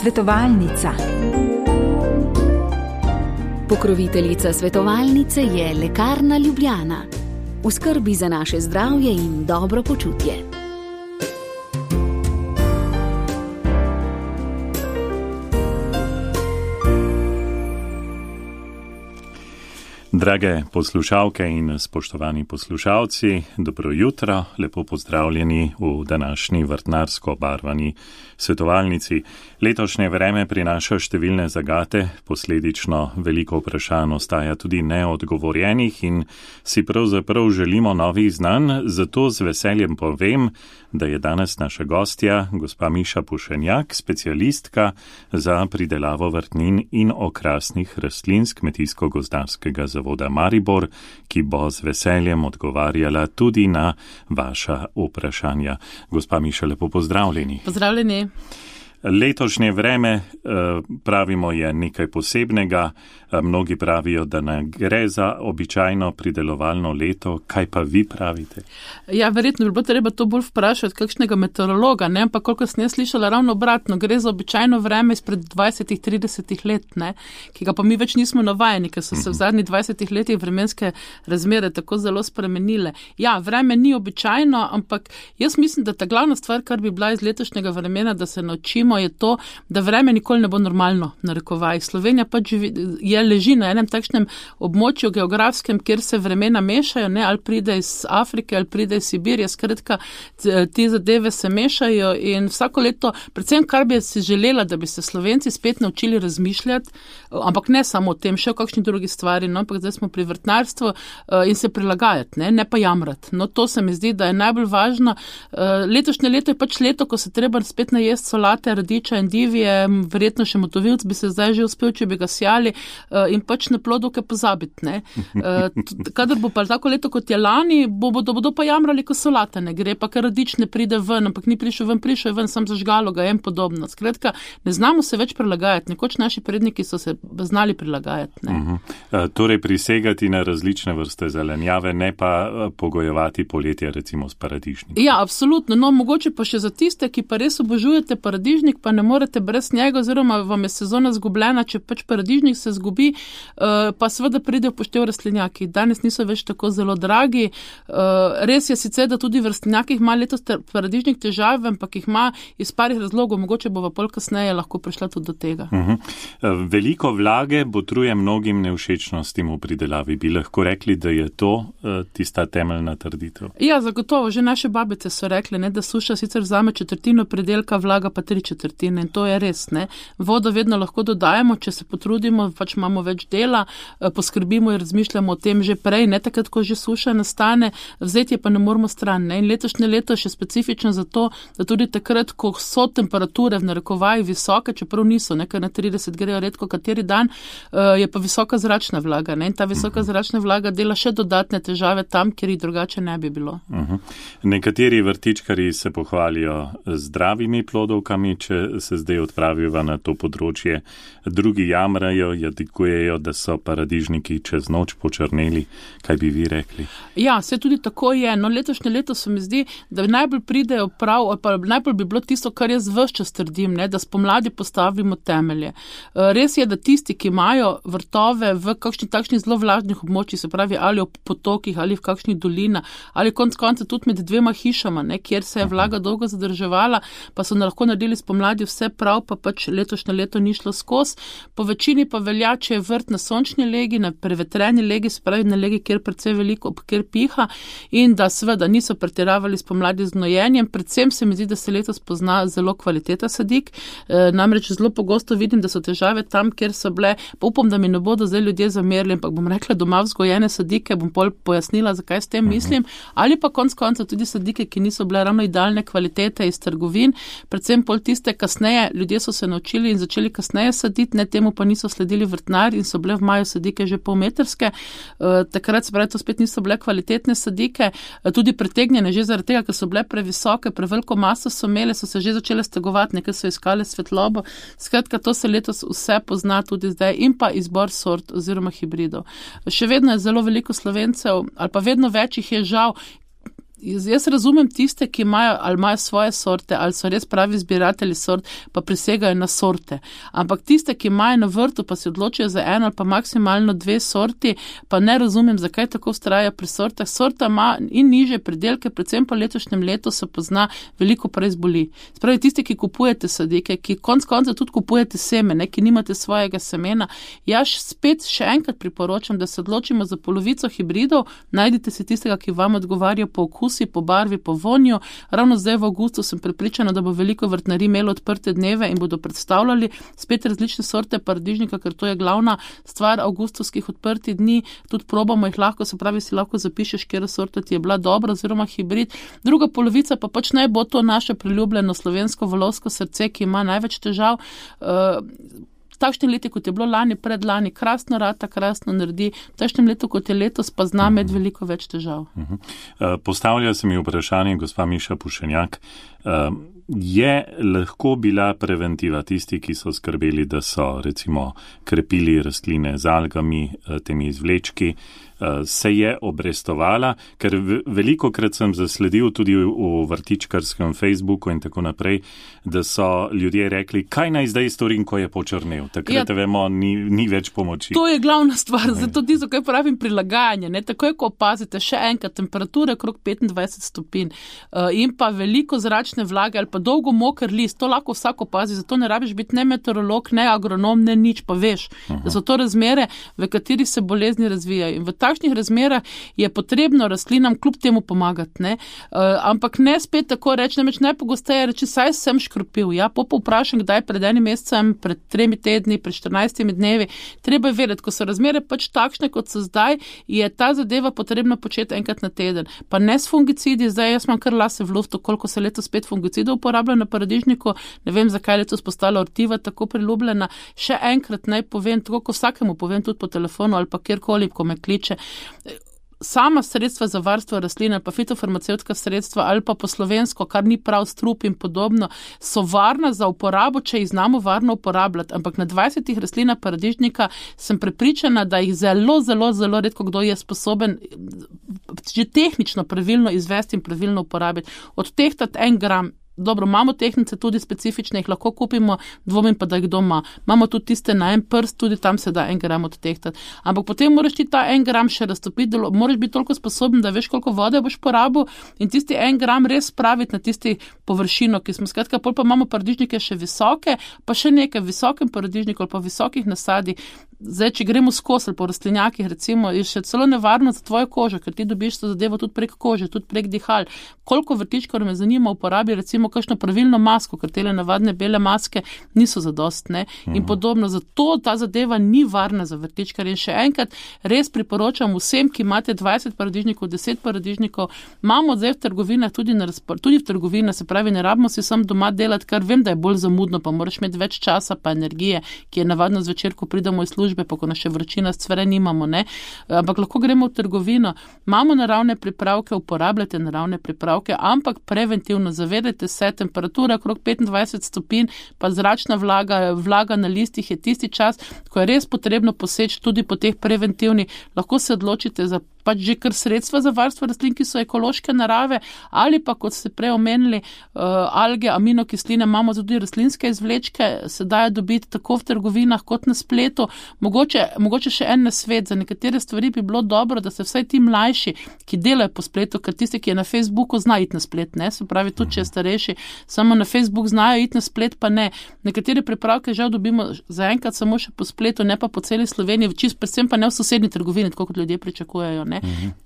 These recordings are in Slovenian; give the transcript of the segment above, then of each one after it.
Svetovalnica. Pokroviteljica svetovalnice je Lekarna Ljubljana. V skrbi za naše zdravje in dobro počutje. Drage poslušalke in spoštovani poslušalci, dobro jutro, lepo pozdravljeni v današnji vrtnarsko obarvani svetovalnici. Letošnje vreme prinaša številne zagate, posledično veliko vprašanj ostaja tudi neodgovorjenih in si pravzaprav želimo novih znanj, zato z veseljem povem, da je danes naša gostja, gospa Miša Pušenjak, specialistka za pridelavo vrtnin in okrasnih rastlin s Kmetijsko-gozdarskega zavoda Maribor, ki bo z veseljem odgovarjala tudi na vaša vprašanja. Gospa Miša, lepo pozdravljeni. Pozdravljeni. Letošnje vreme, pravimo, je nekaj posebnega. Mnogi pravijo, da ne gre za običajno pridelovalno leto. Kaj pa vi pravite? Ja, verjetno bi bilo treba to bolj vprašati kakšnega meteorologa, ne? Ampak koliko sem jaz slišala ravno obratno, gre za običajno vreme izpred 20-30 let, ne? Ki ga pa mi več nismo navajeni, ker so se v zadnjih 20 letih vremenske razmere tako zelo spremenile. Ja, vreme ni običajno, ampak jaz mislim, da ta glavna stvar, kar bi bila iz letošnjega vremena, da se naučimo, je to, da vreme nikoli ne bo normalno, narekovaj. Slovenija pač leži na enem takšnem območju geografskem, kjer se vremena mešajo, ne, ali pride iz Afrike, ali pride iz Sibirije, skratka, te zadeve se mešajo in vsako leto, predvsem kar bi si želela, da bi se Slovenci spet naučili razmišljati, ampak ne samo o tem, še o kakšni drugi stvari, no, ampak zdaj smo pri vrtnarstvu in se prilagajati, ne pa jamrati. No, to se mi zdi, da je najbolj važno. Letošnje leto je pač leto, ko se treba spet najesti solate, radiča in divje, verjetno še motovilc bi se zdaj že uspel, če bi ga sjali, in pač na plodovke pozabiti, ne. Kadar bo pa tako leto, kot je lani, bodo pa jamrali, ko solata ne gre, pa ker radič ne pride ven, ampak ni prišel ven, sam zažgalo ga, podobno. Skratka, ne znamo se več prilagajati. Nekoč naši predniki so se znali prilagajati, ne. Torej prisegati na različne vrste zelenjave, ne pa pogojevati poletje, recimo s paradižnikom. Ja, absolutno. No, mogoče pa še za tiste, ki pa res obožujete paradižnik, pa ne morete brez njega, oziroma vam je sezona zgubljena, če pač paradižnik se zgubi, pa seveda pridejo poštev rastlinjaki. Danes niso več tako zelo dragi. Res je sicer, da tudi v rastlinjakih ima letos paradižnik težave, ampak jih ima iz parih razlogov, mogoče bo pa pol kasneje lahko prišla tudi do tega. Veliko vlage botruje mnogim nevšečnostim v pridelavi. Bi lahko rekli, da je to tista temeljna trditev? Ja, zagotovo. Že naše babice so rekle, ne, da suša sicer vzame četrtino pridelka, vlaga pa 3/4 in to je res, ne. Vodo vedno lahko dodajemo, če se potrudimo, pač imamo več dela, poskrbimo in razmišljamo o tem že prej, ne takrat, ko že suša nastane, vzeti je pa ne moramo stran, ne. In letošnje leto je še specifično zato, da tudi takrat, ko so temperature v narekovaji visoke, čeprav niso, nekaj na 30 grejo redko kateri dan, je pa visoka zračna vlaga, ne. In ta visoka zračna vlaga dela še dodatne težave tam, kjer jih drugače ne bi bilo. Nekateri vrtičkarji se pohvalijo zdravimi plodovkami, če se zdaj odpravijo na to področje. Drugi jamrajo, jadikujejo, da so paradižniki čez noč počrneli. Kaj bi vi rekli? Ja, se tudi tako je. No, letošnje leto se mi zdi, da najbolj pridejo prav, ali pa najbolj bi bilo tisto, kar jaz ves čas trdim, ne, da spomladi postavimo temelje. Res je, da tisti, ki imajo vrtove v kakšni takšnih zelo vlažnih območjih, se pravi ali ob potokih, ali v kakšnih dolinah, ali konec konca tudi med dvema hišama, ne, kjer se je vlaga dolgo zadrževala, pa so lahko naredili spomladi vse prav, pa pač letošnje leto ni šlo skozi. Po večini pa velja, če je vrt na sončni legi, na prevetreni legi, se pravi na legi, kjer precej veliko, kjer piha, in da seveda niso pretiravali spomladi z gnojenjem. Predvsem se mi zdi, da se letos pozna zelo kvaliteta sadik. Namreč zelo pogosto vidim, da so težave tam, kjer so bile, pa upam, da mi ne bodo zdaj ljudje zamerili, ampak bom rekla doma vzgojene sadike, bom pol pojasnila, zakaj s tem mislim, ali pa konec konca tudi sadike, ki niso bile ravno idealne kvalitete iz trgovin, predvsem pol tiste kasneje, ljudje so se naučili in začeli kasneje saditi, ne, temu pa niso sledili vrtnari in so bile v maju sadike že polmetrske. Takrat se pravi, to spet niso bile kvalitetne sadike, tudi pretegnjene že zaradi tega, ker so bile previsoke, preveliko maso so imele, so se že začele stegovati, nekaj so iskale svetlobo. Skratka, to se letos vse pozna tudi zdaj in pa izbor sort oziroma hibridov. Še vedno je zelo veliko Slovencev, ali pa vedno več jih je žal, Jaz razumem tiste, ki imajo svoje sorte, ali so res pravi zbiratelji sort, pa prisegajo na sorte. Ampak tiste, ki imajo na vrtu, pa se odločijo za eno ali pa maksimalno 2 sorti, pa ne razumem, zakaj tako vztraja pri sortah. Sorta ima in nižje pridelke, predvsem po letošnjem letu se pozna, veliko prej zboli. Spravi tisti, ki kupujete sadike, ki konec konca tudi kupujete semene, ki nimate svojega semena. Jaz spet še enkrat priporočam, da se odločimo za polovico hibridov, najdite si tistega, ki vam odgovarja po okusi, po barvi, po vonju. Ravno zdaj v avgustu sem prepričana, da bo veliko vrtnarij imelo odprte dneve in bodo predstavljali spet različne sorte paradižnika, ker to je glavna stvar avgustovskih odprtih dni. Tudi probamo jih lahko, se pravi, si lahko zapišeš, kjer sorta ti je bila dobra oziroma hibrid. Druga polovica pa pač naj bo to naše priljubljeno slovensko volovsko srce, ki ima največ težav. Takšne leti, kot je bilo lani, predlani, krasno rata, krasno naredi, v takšnem letu, kot je letos, pa zna med veliko več težav. Postavlja se mi vprašanje, gospa Miša Pušenjak, je lahko bila preventiva tisti, ki so skrbeli, da so recimo krepili rastline z algami, temi izvlečki, se je obrestovala, ker veliko krat sem zasledil tudi v vrtičkarskem Facebooku in tako naprej, da so ljudje rekli, kaj naj zdaj storim, ko je počrnel. Takrat vemo, ni več pomoči. To je glavna stvar, zato tisto, kaj pravim, prilagajanje. Ne? Takoj, ko opazite še enkrat temperature okrog 25 stopinj in pa veliko zračne vlage ali pa dolgo moker list, to lahko vsak opazi, zato ne rabiš biti ne meteorolog, ne agronom, ne nič, pa veš, da so to razmere, v katerih se bolezni razvijajo. In v takšnih razmerah je potrebno rastlinam kljub temu pomagati, ne? Ampak ne spet tako reči, namreč najpogosteje reči, saj sem škropil, ja, povprašam, kdaj pred enim mesecem, pred 3 tedni, pred 14 dnevi, treba je vedeti, ko so razmere pač takšne, kot so zdaj, je ta zadeva potrebno početi enkrat na teden. Pa ne s fungicidi, zdaj jaz imam kar lase v luftu, koliko se letos spet fungicidov uporablja na paradižniku, ne vem, zakaj letos postala ortiva tako priljubljena. Še enkrat naj povem, tako ko vsakemu povem tudi po telefonu ali pa kjerkoli, ko me kliče. Sama sredstva za varstvo rastline, pa fitofarmacevtska sredstva ali pa po slovensko, kar ni prav, strup in podobno, so varna za uporabo, če jih znamo varno uporabljati. Ampak na 20 rastlinah paradižnika sem prepričana, da jih zelo, zelo, zelo redko kdo je sposoben že tehnično pravilno izvesti in pravilno uporabiti. Odtehtati 1 gram. Dobro, imamo tehnice tudi specifične, jih lahko kupimo, dvomim pa, da jih doma. Imamo tudi tiste na en prst, tudi tam se da 1 gram odtehtati. Ampak potem moraš ti ta 1 gram še raztopiti, moraš biti toliko sposoben, da veš, koliko vode boš porabil in tisti 1 gram res spraviti na tisti površino, ki smo skratka, pol pa imamo paradižnike še visoke, pa še nekaj visokem paradižniku ali pa visokih nasadih. Zdaj, če gremo skozi po rastlinjakih, recimo, je še celo nevarno za tvojo kožo, ker ti dobiš to zadevo tudi prek kože, tudi prek dihal. Koliko vrtičkar me zanima uporabi, recimo, kakšno pravilno masko, ker tele navadne bele maske niso zadostne in podobno. Zato ta zadeva ni varna za vrtičkar. In še enkrat res priporočam vsem, ki imate 20 paradižnikov, 10 paradižnikov, imamo zdaj v trgovinah tudi v trgovinah, se pravi, ne rabimo si sam doma delati, kar vem, da je bolj zamudno, pa moraš imeti več časa pa energije, ki je navadno zvečer, ko pridemo iz službe, pa ko nas še vročina scvere nimamo, ne. Ampak lahko gremo v trgovino, imamo naravne pripravke, uporabljate naravne pripravke, ampak preventivno zavedajte se, temperatura okrog 25 stopinj, pa zračna vlaga na listih je tisti čas, ko je res potrebno poseči tudi po teh preventivnih, lahko se odločite za pač že kar sredstva za varstvo rastlin, ki so ekološke narave, ali pa, kot ste prej omenili, alge, aminokisline, imamo tudi rastlinske izvlečke, se dajo dobiti tako v trgovinah kot na spletu. Mogoče še en nasvet, za nekatere stvari bi bilo dobro, da se vsaj ti mlajši, ki delajo po spletu, ker tisti, ki je na Facebooku, zna iti na splet, ne, se pravi, tudi če je starejši, samo na Facebook znajo iti na splet, pa ne. Nekatere pripravke žal dobimo zaenkrat samo še po spletu, ne pa po celi Sloveniji, predvsem pa ne v sosednji trgovini, tako kot ljudje pričakujejo.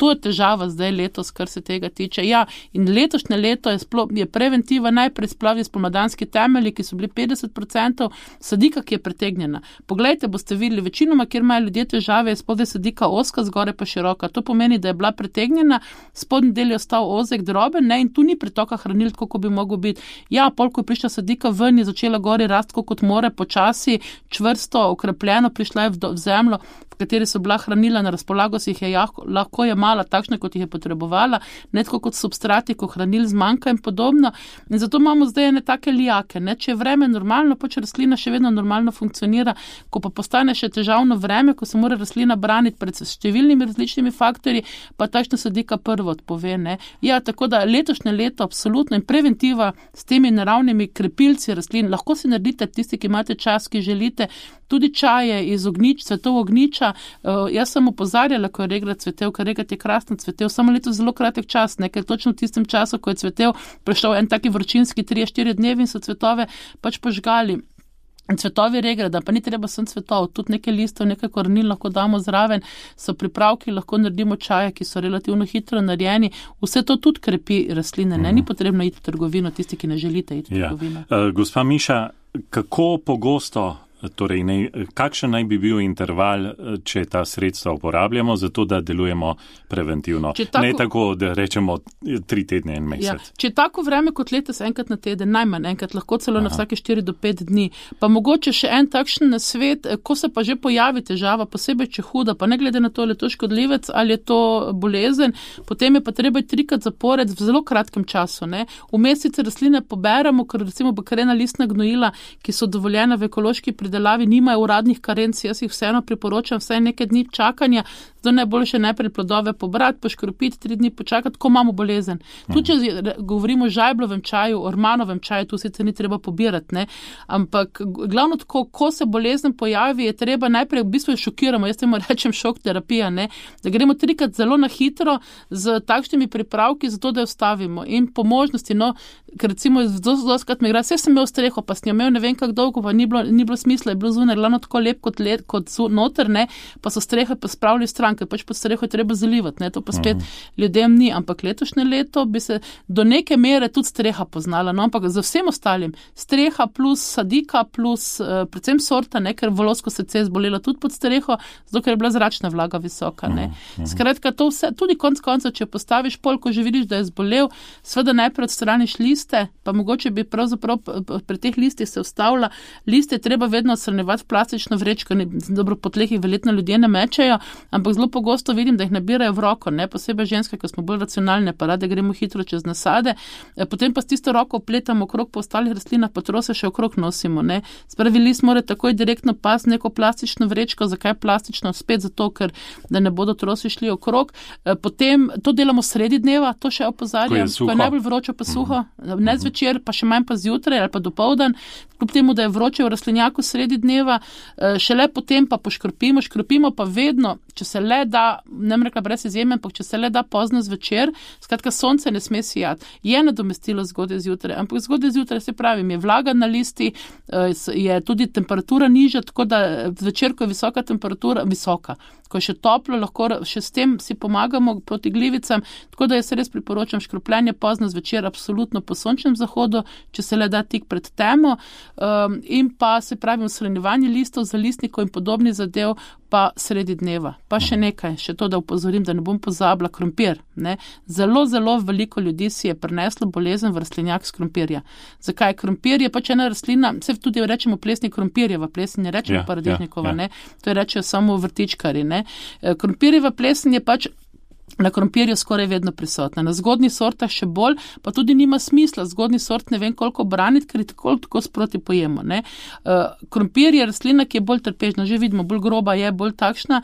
To je težava zdaj letos, kar se tega tiče. Ja, in letošnje leto je preventiva najprej splavi spomladanski temelji, ki so bili 50% sadika, ki je pretegnjena. Poglejte, boste videli, večinoma, kjer imajo ljudje težave, je spodaj sadika ozka, zgore pa široka. To pomeni, da je bila pretegnjena, spodnji del je ostal ozek, droben, ne, in tu ni pretoka hranil, tako bi mogel biti. Ja, pol, ko je prišla sadika ven, je začela gori rasti kot more, počasi, čvrsto, okrepljeno, prišla je v zemljo, v kateri so bila hranila, na razpolago si jih je lahko je mala takšna, kot jih je potrebovala, ne tako kot substrati, ko hranil zmanjka in podobno. In zato imamo zdaj ene take lijake, ne? Če je vreme normalno, pač rastlina še vedno normalno funkcionira, ko pa postane še težavno vreme, ko se mora rastlina braniti pred številnimi različnimi faktorji, pa takšna sadika prvo odpove, ne? Ja, tako da letošnje leto absolutno in preventiva s temi naravnimi krepilci rastlin, lahko si naredite tisti, ki imate čas, ki želite, tudi čaje iz cvetov ognjiča. Jaz sem opozarjala, ko je regrat cvetel, ker regrat je krasno cvetel, samo leto zelo kratek čas, ne, ker točno v tistem času, ko je cvetel, prišel en taki vročinski 3-4 dnevi in so cvetove pač požgali. Cvetovi regrada, pa ni treba sem cvetov, tudi nekaj listov, nekaj korenil lahko damo zraven, so pripravki, lahko naredimo čaje, ki so relativno hitro narejeni. Vse to tudi krepi rastline, ne? Ni potrebno iti v trgovino, tisti, ki ne želite iti v trgovino. Gospa Miša, kako pogosto, torej kakšen naj bi bil interval, če ta sredstva uporabljamo, zato da delujemo preventivno? Ne tako, da rečemo 3 tedne in mesec. Ja, če je tako vreme kot letos, enkrat na teden, najmanj enkrat, lahko celo na vsake 4 do 5 dni. Pa mogoče še en takšen nasvet, ko se pa že pojavi težava, posebej če huda, pa ne glede na to, ali je to škodljivec ali je to bolezen, potem je pa treba 3-krat zapored v zelo kratkem času. Ne? V mesece rastline poberemo, ker recimo bakrena listna gnojila, ki so dovoljena v ekološki pridelavi, nimajo uradnih karenc, jaz jih vseeno priporočam vsaj nekaj dni čakanja, zato najboljše najprej plodove pobrati, poškropiti, 3 dni počakati, ko imamo bolezen. Tu, če govorimo o žajblovem čaju, o ormanovem čaju, tu sicer ni treba pobirati, ne? Ampak glavno tako, ko se bolezen pojavi, je treba najprej v bistvu šokiramo, jaz temu rečem šok terapija, ne? Da gremo 3-krat zelo na hitro z takšnimi pripravki, zato da jo stavimo in po možnosti, no, ker recimo doskrat me igra, vse sem imel streho, pa sem jo imel ne vem kako dolgo, pa ni bilo smisla, je bilo zunaj glavno tako lep kot noter, ne, pa so strehe pa spravili stran, ker pač pod streho je treba zalivati, ne, to pa spet ljudem ni, ampak letošnje leto bi se do neke mere tudi streha poznala, no, ampak za vsem ostalim, streha plus sadika plus predvsem sorta, ne, ker volovsko srce je zbolelo tudi pod streho, zato ker je bila zračna vlaga visoka, ne. Skratka, to vse, tudi konc konca, če postaviš pol, ko že vidiš, da je zbolel, seveda najprej odstraniš liste, pa mogoče bi pravzaprav pri teh listih se ustavila, liste treba vedno odstranjevati v plastično vrečko, dobro po tleh jih verjetno ljudje ne mečejo, ampak zelo pogosto vidim, da jih nabirajo v roko, ne, posebej ženske, ki smo bolj racionalne, pa rade gremo hitro čez nasade, potem pa s tisto roko opletamo okrog po ostalih rastlinah, pa trose še okrog nosimo, ne. Spravi list mora takoj direktno pasti neko plastično vrečko, zakaj plastično? Spet zato, ker da ne bodo trosi šli okrog. Potem to delamo sredi dneva, to še opozarjam, ko je najbolj vroče pa suho, ne zvečer, pa še manj pa zjutraj ali pa dopoldan, kljub temu, da je vroče v rastlinjaku sredi dneva, šele potem pa škropimo pa vedno, če se le da, ne bom rekla brez izjeme, ampak če se le da pozno zvečer, skratka sonce ne sme sijati. Je nadomestilo zgodaj zjutraj, ampak zgodaj zjutraj, se pravim, je vlaga na listi, je tudi temperatura nižja, tako da zvečer, ko je visoka temperatura, ko je še toplo, lahko še s tem si pomagamo proti glivicam, tako da jaz res priporočam škropljenje pozno zvečer, absolutno po sončnem zahodu, če se le da tik pred temo, in pa se pravim shranjevanje listov za listnikov in podobnih zadev pa sredi dneva. Pa še nekaj, še to, da upozorim, da ne bom pozabila, krompir, ne. Zelo, zelo veliko ljudi si je prineslo bolezen v rastlinjak s krompirja. Zakaj? Krompir je pač ena rastlina, se tudi rečemo plesni krompirjeva, plesen ne rečemo paradižnikova, ne. To je rečejo samo vrtičkari, ne. Krompirjeva plesen je pač na krompirju skoraj vedno prisotna. Na zgodnjih sortah še bolj, pa tudi nima smisla. Zgodnji sort ne vem koliko braniti, ker je tako sproti pojemo, ne. Krompir je rastlina, ki je bolj trpežna, že vidimo, bolj groba je, bolj takšna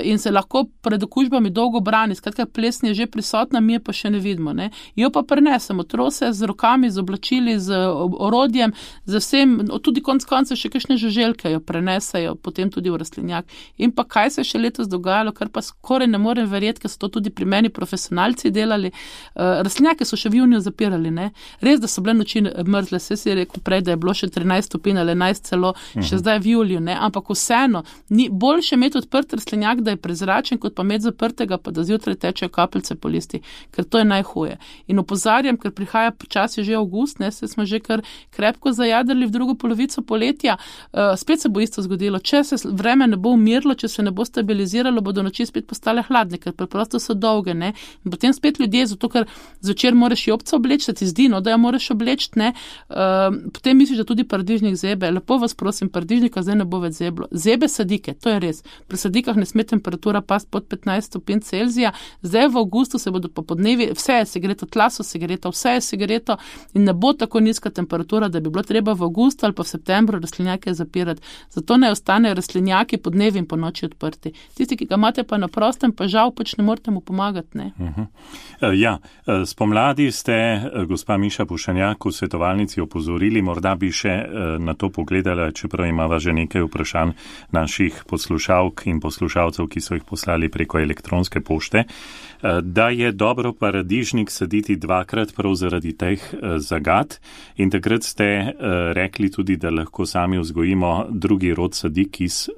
in se lahko pred okužbami dolgo brani. Skratka, plesen je že prisotna, mi je pa še ne vidimo, ne. Jo pa prenesemo, trose z rokami, z oblačili, z orodjem, z vsem, tudi konc konca še kakšne žuželke jo prenesejo, potem tudi v rastlinjak. In pa kaj se je še letos dogajalo, kar pa skoraj ne morem verjeti, ker so to tudi pri meni profesionalci delali. Rastlinjake so še v juniju zapirali, ne. Res, da so bile noči mrzle, se si rekel prej, da je bilo še 13 stopinj ali 11 celo, še zdaj v juliju, ne, ampak vseeno, ni boljše imeti odprt rastlinjak, da je prezračen, kot pa imeti zaprtega, pa da zjutraj tečejo kapljice po listih, ker to je najhuje. In opozarjam, ker prihaja počasi že avgust, ne, se smo že kar krepko zajadrali v drugo polovico poletja, spet se bo isto zgodilo. Če se vreme ne bo umirilo, če se ne bo stabiliziralo, bodo noči spet postale hladne, ker preprosto so dolge, ne. In potem spet ljudje, zato ker zvečer moraš jobca obleči, da ti zdi, no, da jo moraš obleči, ne. Potem misliš, da tudi paradižnik zebe. Lepo vas prosim, paradižnika zdaj ne bo več zeblo. Zebe sadike, to je res. Pri sadikah ne sme temperatura past pod 15 stopinj Celzija. Zdaj v avgustu se bodo po podnevi, vse je segreto, tla so segreta, vse je segreto in ne bo tako nizka temperatura, da bi bilo treba v avgustu ali pa v septembru rastlinjake zapirati. Zato ne ostanejo rastlinjaki po dnevi in po noči odprti. Tisti, ki ga imate pa na prostem, pa žal pač ne morete mu pomagati, ne. Ja, spomladi ste, gospa Miša Pušanjak, v svetovalnici opozorili, morda bi še na to pogledala, čeprav imava že nekaj vprašanj naših poslušalk in poslušalcev, ki so jih poslali preko elektronske pošte, da je dobro paradižnik saditi dvakrat prav zaradi teh zagat in takrat ste rekli tudi, da lahko sami vzgojimo drugi rod sadik iz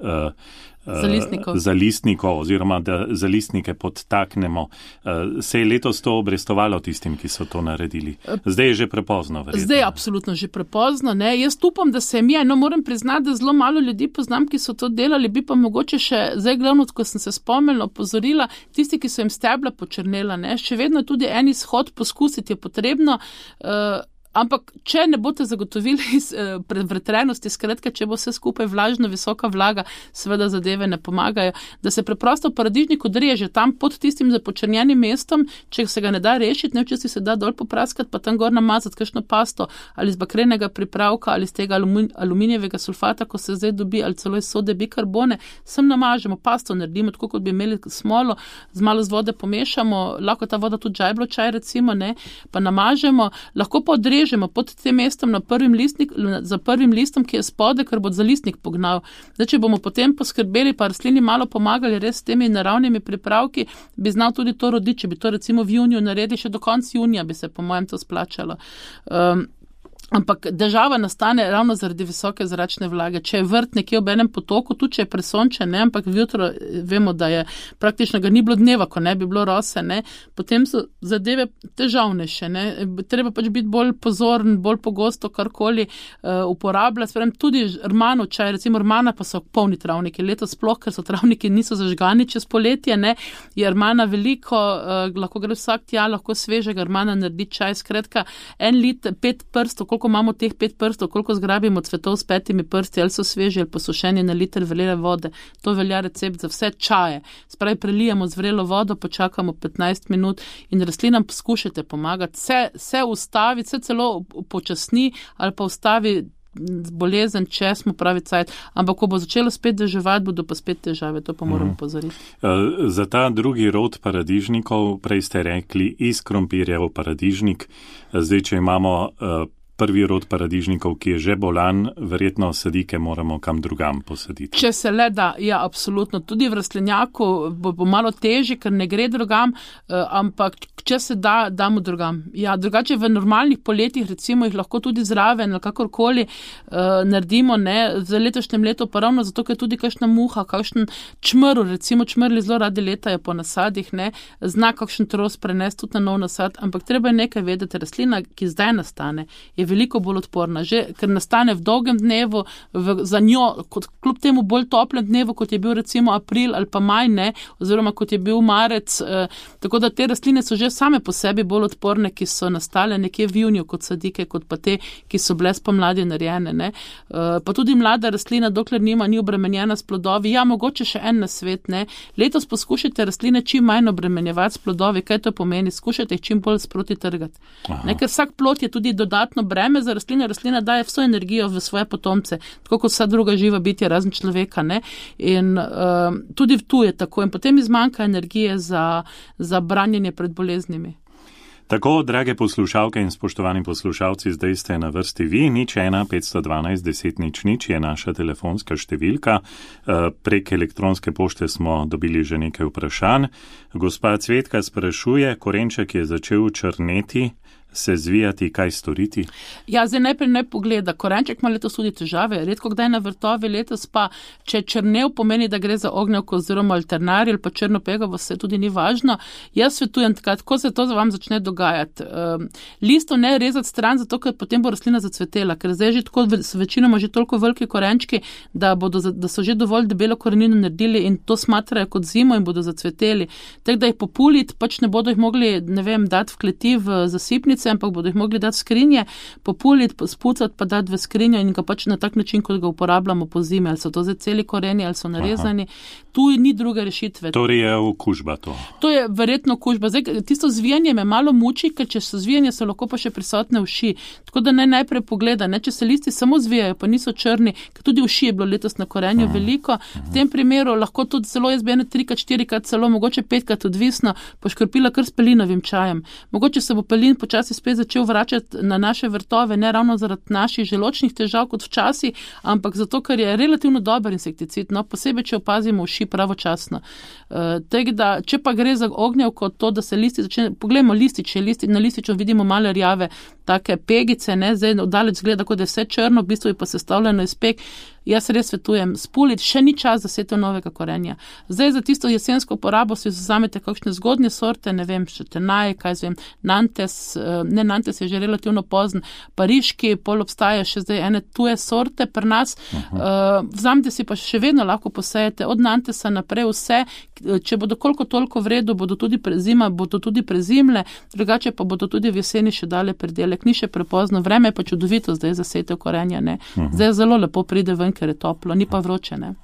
zalistnikov oziroma da zalistnike podtaknemo. Se je letos to obrestovalo tistim, ki so to naredili? Zdaj je že prepozno, verjetno. Zdaj je absolutno že prepozno, ne. Jaz upam, da se mi je, no moram priznati, da zelo malo ljudi poznam, ki so to delali, bi pa mogoče še, zdaj glavno, ko sem se spomnila, opozorila, tisti, ki so jim stebla počrnela, ne. Še vedno tudi en izhod poskusiti je potrebno, ampak, če ne boste zagotovili predvretrenosti, skratka, če bo vse skupaj vlažno, visoka vlaga, seveda zadeve ne pomagajo, da se preprosto paradižnik odreže tam pod tistim započrnjenim mestom, če se ga ne da rešiti, ne včasih se da dol popraskati, pa tam gor namazati kakšno pasto ali iz bakrenega pripravka ali iz tega aluminijevega sulfata, ko se zdaj dobi, ali celo iz sode bikarbone, sem namažemo, pasto naredimo, tako kot bi imeli smolo, z malo z vode pomešamo, lahko ta voda tudi žajblo čaj recimo, ne, pa namažemo, lahko pa odrežemo pod tem mestom za prvim listom, ki je spode, ker bo zalistnik pognal. Zdaj, če bomo potem poskrbeli, pa rastlini malo pomagali res s temi naravnimi pripravki, bi znal tudi to roditi, če bi to recimo v juniju naredili, še do konca junija bi se po mojem to splačalo. Ampak težava nastane ravno zaradi visoke zračne vlage. Če je vrt nekje ob enem potoku, tudi če je presončen, ne, ampak jutro vemo, da je praktično ga ni bilo dneva, ko ne bi bilo rose, ne, potem so zadeve težavnejše, ne. Treba pač biti bolj pozoren, bolj pogosto karkoli uporabljati. Sprem, tudi rmanov čaj, recimo rmana pa so polni travniki. Letos sploh, ker so travniki niso zažgani čez poletje, ne, je rmana veliko, lahko gre vsak tja, lahko svežega rmana naredi čaj. Skratka, 1 liter, 5 prstov, koliko imamo teh 5 prstov, koliko zgrabimo cvetov s 5 prsti, ali so sveži, ali pa sušeni na liter vrele vode. To velja recept za vse čaje. Spravi, prelijemo z vrelo vodo, počakamo 15 minut in rastlinam poskušajte pomagati. Se ustavi, se celo počasni ali pa ustavi bolezen, če smo pravi cajt, ampak ko bo začelo spet deževati, bodo pa spet težave, to pa moramo pozoriti. Za ta drugi rod paradižnikov, prej ste rekli iz krompirjev paradižnik, zdaj, če imamo prvi rod paradižnikov, ki je že bolan, verjetno sadike moramo kam drugam posaditi. Če se le da, ja, absolutno. Tudi v rastlinjaku bo malo težje, ker ne gre drugam, ampak če se da, damo drugam. Ja, drugače v normalnih poletjih, recimo jih lahko tudi zraven, ali kakorkoli naredimo, ne, za letošnjem letu pa ravno zato, ker tudi kakšna muha, kakšen čmrl, recimo čmrli zelo radi letajo po nasadih, ne, zna kakšen tros prenesti tudi na nov nasad, ampak treba je nekaj vedeti, rastlina, ki zdaj nastane, je veliko bolj odporna, že ker nastane v dolgem dnevu, za njo, kljub temu bolj toplem dnevu, kot je bil recimo april ali pa maj, ne, oziroma kot je bil marec, tako da te rastline so že same po sebi bolj odporne, ki so nastale nekje v juniju kot sadike, kot pa te, ki so bile spomladi narejene, ne. Pa tudi mlada rastlina, dokler ni obremenjena s plodovi, ja, mogoče še en nasvet, ne, letos poskušajte rastline čim manj obremenjevati s plodovi, kaj to pomeni, skušajte jih čim bolj sproti trgati. Ne, ker vsak plod je tudi dodatno breme za rastlina daje vso energijo v svoje potomce, tako kot vsa druga živa bitja, razen človeka, ne, in tudi tu je tako in potem izmanjka energije za branjenje pred boleznimi. Tako, drage poslušalke in spoštovani poslušalci, zdaj ste na vrsti vi, 01512 je naša telefonska številka. Prek elektronske pošte smo dobili že nekaj vprašanj. Gospa Cvetka sprašuje, korenček je začel črneti, se zvijati, kaj storiti? Ja, zdaj najprej ne pogleda. Korenček ima letos tudi težave, redko kdaj na vrtovi, letos pa, če črnev pomeni, da gre za ognjevko oziroma alternarij ali pa črnopegavo, se tudi ni važno. Jaz svetujem tako se to vam začne dogajati. Listov ne rezati stran, zato ker potem bo rastlina zacvetela, ker zdaj že tako večinoma že toliko veliki korenčki, da so že dovolj debelo korenino naredili in to smatrajo kot zimo in bodo zacveteli. Tako da jih populiti, pač ne bodo jih mogli, ne vem, dati v kleti v zasipnice, ampak bodo jih mogli dati v skrinje, populiti, spucati pa dati v skrinjo in ga pač na tak način, kot ga uporabljamo po zimi, ali so to zdaj celi koreni, ali so narezani. Aha. Tu ni druge rešitve. Torej je okužba to. To je verjetno okužba. Zdaj, tisto zvijanje me malo muči, ker če so zvijanje, so lahko pa še prisotne uši. Tako da najprej pogleda, če se listi samo zvijajo, pa niso črni, ker tudi uši je bilo letos na korenju veliko. V tem primeru lahko tudi celo jaz bi 3-4, celo mogoče 5, odvisno, poškropila kar s pelinovim čajem. Mogoče se bo pelin počasi spet začel vračati na naše vrtove, ne ravno zaradi naših želočnih težav kot včasih, ampak zato, ker je relativno dober insekticid, no, posebej, če opazimo uši pravočasno. Če pa gre za ognjevko, to, da se listi začne, poglejmo lističe, na lističu vidimo male rjave, take pegice, ne, zdaj oddaleč zgleda, kot je vse črno, v bistvu je pa sestavljeno iz peg. Jaz res svetujem spuliti, še ni čas za setev novega korenja. Zdaj za tisto jesensko porabo si vzamete kakšne zgodnje sorte, ne vem, še tenaj, Nantes, Nantes je že relativno pozen, pariški, pol obstaja še zdaj ene tuje sorte pri nas. Vzamete si pa še vedno lahko posejete od Nantesa naprej vse, če bodo koliko toliko v redu, bodo tudi prezimle, drugače pa bodo tudi v jeseni še dale predelek. Ni še prepozno, vreme je pa čudovito zdaj za setev korenja, ne. Zdaj zelo lepo pride ven, ker je toplo, ni pa vroče, ne.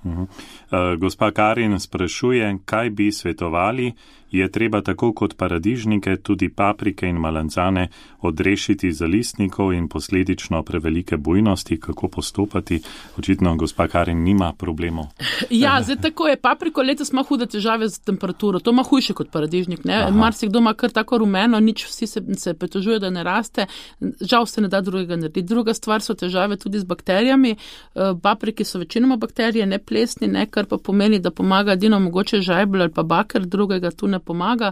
Gospa Karin sprašuje, kaj bi svetovali, je treba tako kot paradižnike tudi paprike in malancane odrešiti zalistnikov in posledično prevelike bujnosti, kako postopati. Očitno gospa Karin nima problemov. Ja, zdaj tako je. Papriko letos ima hude težave z temperaturo. To ima hujše kot paradižnik, ne. Marsikdo ima kar tako rumeno, nič, vsi se pritožuje, da ne raste. Žal se ne da drugega narediti. Druga stvar so težave tudi z bakterijami. Papriki so večinoma bakterije, ne plesni, ne, kar pa pomeni, da pomaga edino mogoče žajbelj ali pa baker, drugega tu ne pomaga.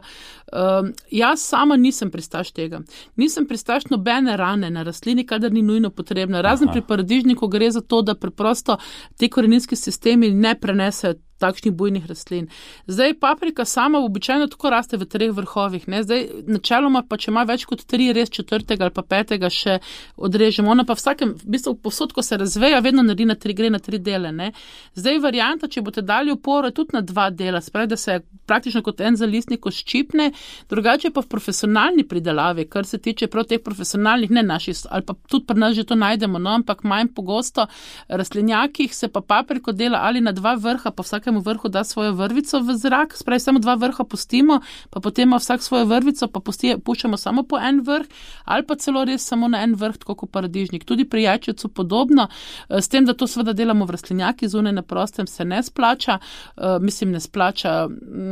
Jaz sama nisem pristaš tega. Nisem pristaš nobene rane na rastlini, kadar ni nujno potrebna. Razen pri paradižniku gre za to, da preprosto ti koreninski sistemi ne prenesejo takšnih bujnih rastlin. Zdaj paprika sama običajno tako raste v 3 vrhovih, ne? Zdaj načeloma pa, če ima več kot 3, res 4. ali pa 5. še odrežemo. Ona pa v bistvu povsod, ko se razveja, vedno naredi gre na 3 dele, ne? Zdaj varianta, če boste dali oporo, je tudi na 2 dela, spravi, da se praktično kot en zalistnik ščipne, drugače pa v profesionalni pridelavi, kar se tiče prav teh profesionalnih, ne naših, ali pa tudi pri nas že to najdemo, no, ampak manj pogosto rastlinjakih se pa papriko dela ali na 2 vrha, pa vsakemu vrhu da svojo vrvico v zrak, spravi samo 2 vrha pustimo, pa potem ima vsak svojo vrvico, pa puščamo samo po en vrh, ali pa celo res samo na en vrh, tako kot paradižnik. Tudi pri jajčecu podobno, s tem, da to seveda delamo v rastlinjaki, zunaj na prostem se ne splača, ne splača.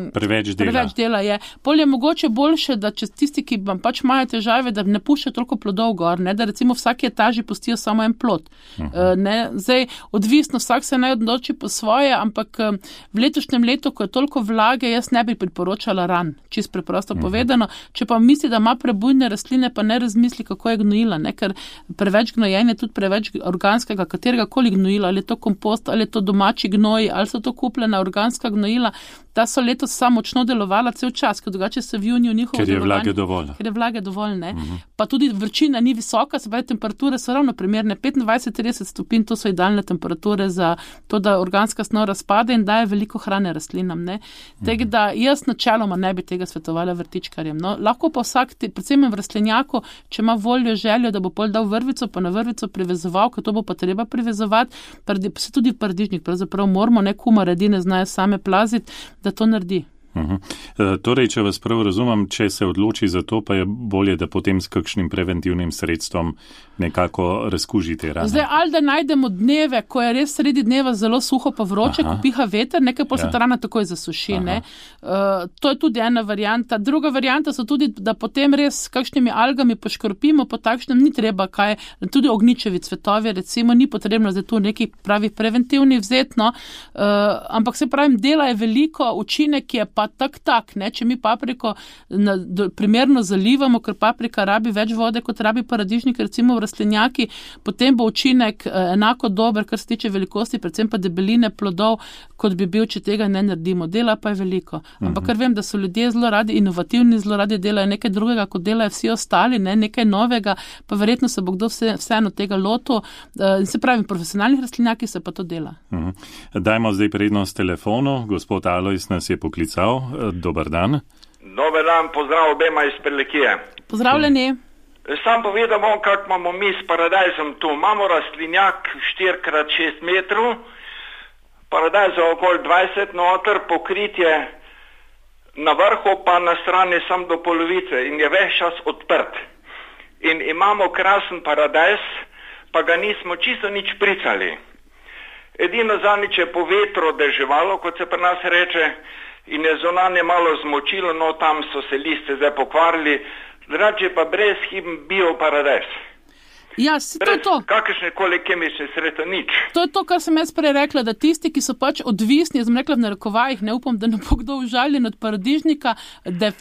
Preveč dela je. Pol je mogoče boljše, da če tisti, ki vam pač imajo težave, da ne puščajo toliko plodov gor, ne, da recimo vsaki etaži pustijo samo en plod. Zdaj, odvisno, vsak se naj odloči po svoje, ampak v letošnjem letu, ko je toliko vlage, jaz ne bi priporočala ran, čisto preprosto povedano. Če pa misli, da ima prebujne rastline, pa ne razmisli, kako je gnojila, ne, ker preveč gnojenja, tudi preveč organskega, katerega koli gnojila, ali je to kompost, ali je to domači gnoj, ali so to kupljena organska gnojila, ta so letos samo močno delovala cel čas, ker drugače se v juniju njihovo delovanje. Ker je vlage dovolj, ne. Pa tudi vročina ni visoka, se pravi, temperature so ravno primerne, 25-30 stopinj, to so idealne temperature za to, da organska snov razpade in daje veliko hrane rastlinam, ne. Tako da jaz načeloma ne bi tega svetovala vrtičkarjem, no. Lahko pa vsak, predvsem v rastlinjaku, če ima voljo, željo, da bo pol dal vrvico, pa na vrvico privezoval, ker to bo pa treba privezovati, se tudi paradižnik, pravzaprav moramo, ne, kumare edine znajo same plaziti, da to naredi. Torej, če vas prav razumem, če se odloči za to, pa je bolje, da potem s kakšnim preventivnim sredstvom nekako razkužite rane. Zdaj, ali da najdemo dneve, ko je res sredi dneva zelo suho pa vroče, ko piha veter, nekaj pol se ta rana takoj zasuši, ne. To je tudi ena varianta. Druga varianta so tudi, da potem res s kakšnimi algami poškropimo, po takšnem ni treba kaj, tudi ognjičevi cvetovi, recimo, ni potrebno zdaj tu neki pravi preventivni vzet, no. Ampak se pravim, dela je veliko, učinek je pa tak, ne, če mi papriko primerno zalivamo, ker paprika rabi več vode, kot rabi paradižnik, recimo v rastlinjaki, potem bo učinek enako dober, kar se tiče velikosti, predvsem pa debeline plodov, kot bi bil, če tega ne naredimo. Dela pa je veliko. Ampak ker vem, da so ljudje zelo radi inovativni, zelo radi delajo nekaj drugega, kot delajo vsi ostali, ne, nekaj novega, pa verjetno se bo kdo vseeno tega lotil. Se pravi, profesionalnih rastlinjaki se pa to dela. Dajmo zdaj prednost telefonu. Gospod Alojz nas je poklical. Dober dan. Dober dan, pozdrav obema iz Prlekije. Pozdravljeni. Sam povedal bom, kako imamo mi s paradajzom tu. Imamo rastlinjak 4x6 metrov, paradajza okoli 20 noter, pokritje na vrhu pa na strani sam do polovice in je ves čas odprt. In imamo krasen paradajz, pa ga nismo čisto nič pricali. Edino zanič je po vetru deževalo, kot se pri nas reče, in je zunanje malo zmočilo, no tam so se liste zdaj pokvarili, drugače pa brezhiben bio paradajz. Ja, to je to. Kakršne koli kemične sredstva, nič. To je to, kar sem jaz prej rekla, da tisti, ki so pač odvisni, jaz sem rekla v narekovajih, ne upam, da ne bo kdo užaljen od paradižnika,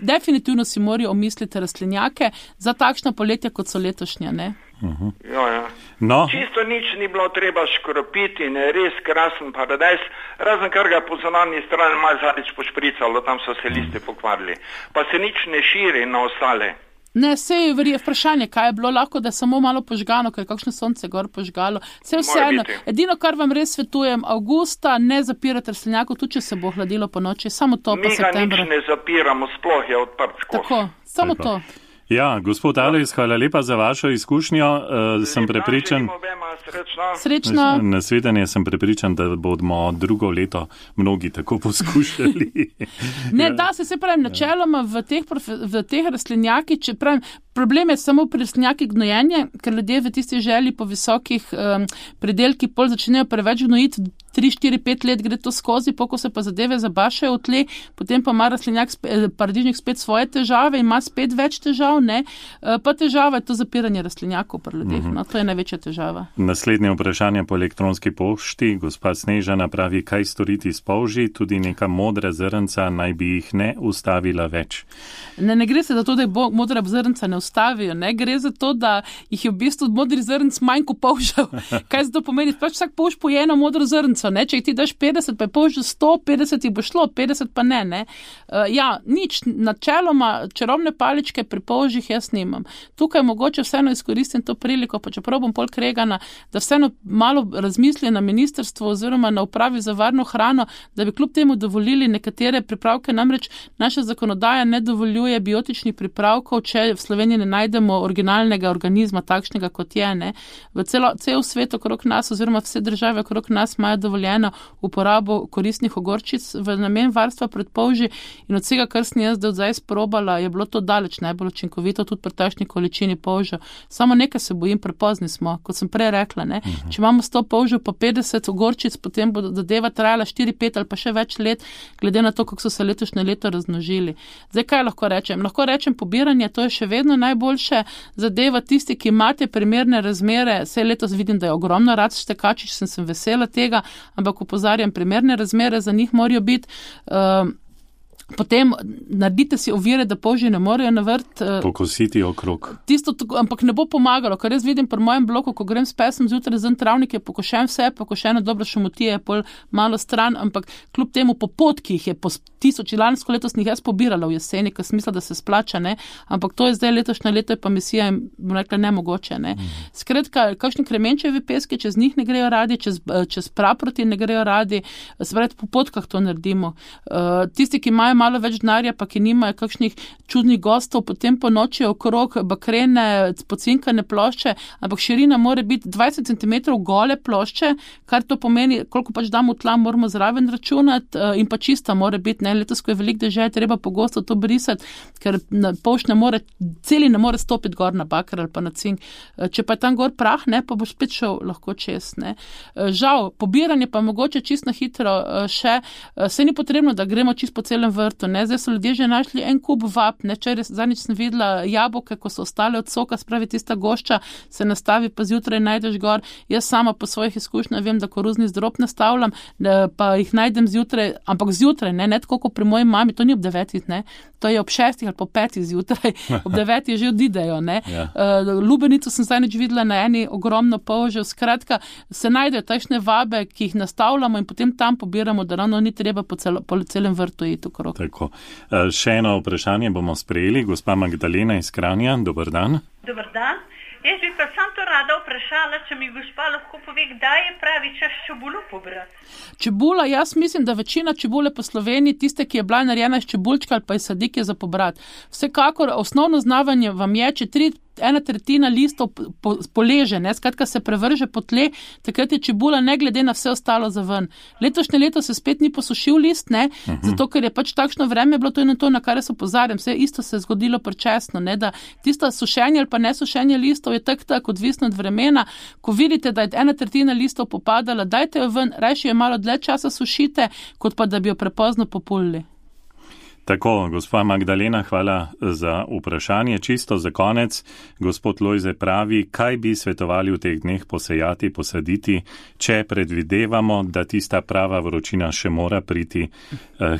definitivno si morajo omisliti rastlinjake za takšna poletja, kot so letošnja, ne? Ja. No. Čisto nič ni bilo treba škropiti in je res krasen paradajz, razen kar ga po zunanji strani malo zadnjič pošpricalo, tam so se liste pokvarili. Pa se nič ne širi na ostale. Ne, sej je vprašanje, kaj je bilo lahko, da je samo malo požgano, ker je kakšno sonce gor požgalo. Vseeno, edino, kar vam res svetujem, avgusta ne zapirate rastlinjakov, tudi če se bo hladilo po noči, samo to pa septembra. Mi ga nič ne zapiramo, sploh je odprt skozi. Tako, samo to. Ja, gospod Alojz, hvala lepa za vašo izkušnjo. Sem prepričan, srečno. Nasvidenje sem prepričan, da bomo drugo leto mnogi tako poskušali. Ne, da se pravi, načeloma v teh rastlinjaki, če pravim, problem je samo pri rastlinjaki gnojenje, ker ljudje v tisti želji po visokih predelkih pol začnejo preveč gnojiti, 3, 4, 5 let gre to skozi, poko se pa zadeve zabašajo v tle, potem pa ima rastlinjak, paradižnik spet svoje težave in ima spet več težav, ne? Pa težava je to zapiranje rastlinjakov pri ljudeh, no, to je največja težava. Naslednje vprašanje po elektronski pošti. Gospa Snežana pravi, kaj storiti s polži, tudi neka modra zrnca naj bi jih ne ustavila več. Ne gre se za to, da je modra zrnca ne ustavijo, ne gre za to, da jih je v bistvu modri zrnc manj kot polžev. Kaj se to pomeni? Pač vsak polž poje eno modro zrnco, ne? Če jih ti daš 50, pa je polž 150 jih bo šlo, 50 pa ne. Ja, nič, načeloma čarobne paličke pri polžih jaz nimam. Tukaj mogoče vseeno izkoristim to priliko, pa čeprav bom pol kregana, da vseeno malo razmisli na ministrstvu oziroma na upravi za varno hrano, da bi kljub temu dovolili nekatere pripravke, namreč naša zakonodaja ne dovoljuje biotičnih pripravkov, če v Sloveniji ne najdemo originalnega organizma, takšnega kot je, ne. V cel svet okrog nas oziroma vse države okrog nas imajo dovoljeno uporabo koristnih ogorčic v namen varstva pred polži in od vsega, kar sem jaz zdaj sprobala, je bilo to daleč najbolj učinkovito tudi pri takšni količini polžev. Samo nekaj se bojim, prepozni smo, kot sem prej rekla, ne. Če imamo 100 polžev pa 50 ogorčic, potem bo zadeva trajala 4, 5 ali pa še več let, glede na to, kako so se letošnje leto razmnožili. Zdaj, kaj lahko rečem? Lahko rečem pobiranje, to je še vedno najboljše zadeva. Tisti, ki imate primerne razmere, saj letos vidim, da je ogromno rac štekačič, sem vesela tega, ampak opozarjam, primerne razmere za njih morajo biti. Potem naredite si ovire, da polži ne morejo na vrt. Pokositi okrog. Tisto, ampak ne bo pomagalo, ker jaz vidim pri mojem bloku, ko grem s pesom zjutraj zven travnik, je pokošen vse, pokošeno dobro šumotije, je pol malo stran, ampak kljub temu po potkih je po 1000, lansko leto sem jih jaz pobirala v jeseni, ker smisla, da se splača, ne, ampak to je zdaj letošnje leto, je pa misija, bom rekla, nemogoče, ne. Skratka, kakšni kremenčevi peski, čez njih ne grejo radi, čez praproti ne grejo radi, se pravi, po potkah to naredimo. Tisti, ki imajo malo več denarja, pa ki nimajo kakšnih čudnih gostov, potem po noči okrog bakrene, pocinkane plošče, ampak širina mora biti 20 cm gole plošče, kar to pomeni, koliko pač damo v tla, moramo zraven računati in pa čista mora biti, ne, letos, ko je veliko dežja, treba pogosto to brisati, ker polž ne more stopiti gor na bakar ali pa na cink. Če pa je tam gor prah, ne, pa boš spet šel lahko čez, ne. Žal, pobiranje pa mogoče čisto hitro še, se ni potrebno, da gremo čisto po celem vrtu vrtu, ne. Zdaj so ljudje že našli en kup vab, ne. Zadnjič sem videla jabolke, ko so ostale od soka, spravi tista gošča, se nastavi, pa zjutraj najdeš gor. Jaz sama po svojih izkušnjah vem, da koruzni zdrob nastavljam, pa jih najdem zjutraj, ampak zjutraj, ne tako kot pri moji mami, to ni ob 9, ne. To je ob 6 ali po 5 zjutraj, ob 9 že odidejo, ne. Ja. Lubenico sem zadnjič videla na eni ogromno polžev, skratka, se najdejo takšne vabe, ki jih nastavljamo in potem tam pobiramo, da ravno ni treba po celem vrtu iti okrog. Tako. Še eno vprašanje bomo sprejeli. Gospa Magdalena iz Kranja, dober dan. Dober dan. Jaz bi pa sam to rada vprašala, če mi gospa lahko pove, kdaj je pravi čas čebulo pobrati. Čebula, jaz mislim, da večina čebule po Sloveniji, tiste, ki je bila narejena iz čebulčka ali pa iz sadike za pobrati. Vsekakor osnovno znavanje vam je, če 1/3 listov poleže, ne, skratka se prevrže po tle, takrat je čebula ne glede na vse ostalo za ven. Letošnje leto se spet ni posušil list, ne, zato ker je pač takšno vreme bilo, to je na to, na kar se opozarjam. Vse isto se je zgodilo prečasno, ne, da tista sušenje ali pa nesušenje listov je tako odvisno od vremena. Ko vidite, da je 1/3 listov popadala, dajte jo ven, rajši jo malo dlje časa sušite, kot pa da bi jo prepozno populili. Tako, gospa Magdalena, hvala za vprašanje. Čisto za konec, gospod Lojze pravi, kaj bi svetovali v teh dneh posejati, posaditi, če predvidevamo, da tista prava vročina še mora priti.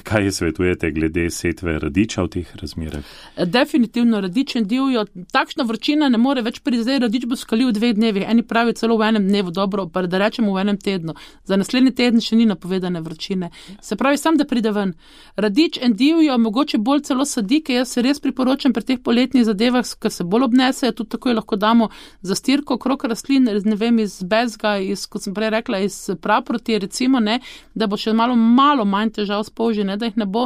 Kaj svetujete glede setve radiča v teh razmerah? Definitivno radič in divjo. Takšna vročina ne more več priti. Zdaj radič bo skalil v 2 dnevih. Eni pravi celo v enem dnevu, dobro, pa da rečemo v enem tednu. Za naslednji teden še ni napovedane vročine. Se pravi, sam da pride ven. Radič in divjo, mogoče bolj celo sadike, jaz se res priporočam pri teh poletnih zadevah, ker se bolj obnesejo, tudi tako lahko damo zastirko okrog rastlin, ne vem, iz bezga, kot sem prej rekla, iz praproti, recimo, ne, da bo še malo manj težav s polži, ne, da jih ne bo,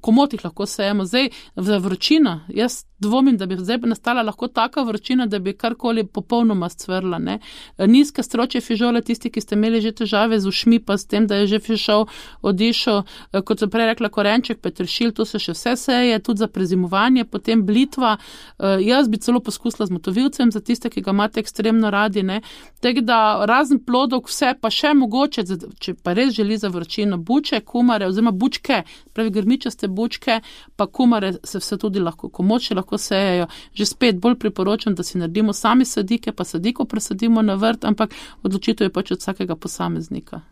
komot jih lahko sejemo. Zdaj, za vročino, jaz dvomim, da bi zdaj nastala lahko taka vročina, da bi karkoli popolnoma scvrla, ne. Nizke stročje fižole, tisti, ki ste imeli že težave z ušmi, pa s tem, da je že fižol odišel, kot sem prej rekla, korenček, peteršilj, to se še vse seje, tudi za prezimovanje, potem blitva. Jaz bi celo poskusila z motovilcem, za tiste, ki ga imate ekstremno radi, ne. Tako da razen plodov, vse pa še mogoče, če pa res želi za vročino, buče, kumare, oziroma bučke, pravi grmičaste bučke, pa kumare se vse tudi lahko, komoče lahko sejejo. Že spet bolj priporočam, da si naredimo sami sadike, pa sadiko presadimo na vrt, ampak odločitev je pač od vsakega posameznika.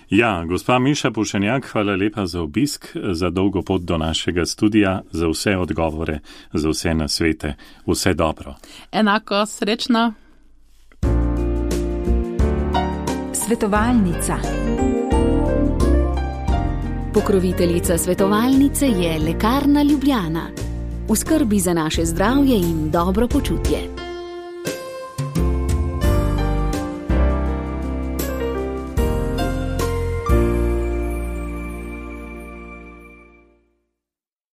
Ja, gospa Miša Pušenjak, hvala lepa za obisk, za dolgo pot do našega studija, za vse odgovore, za vse nasvete. Vse dobro. Enako, srečno. Svetovalnica. Pokroviteljica svetovalnice je Lekarna Ljubljana. V skrbi za naše zdravje in dobro počutje.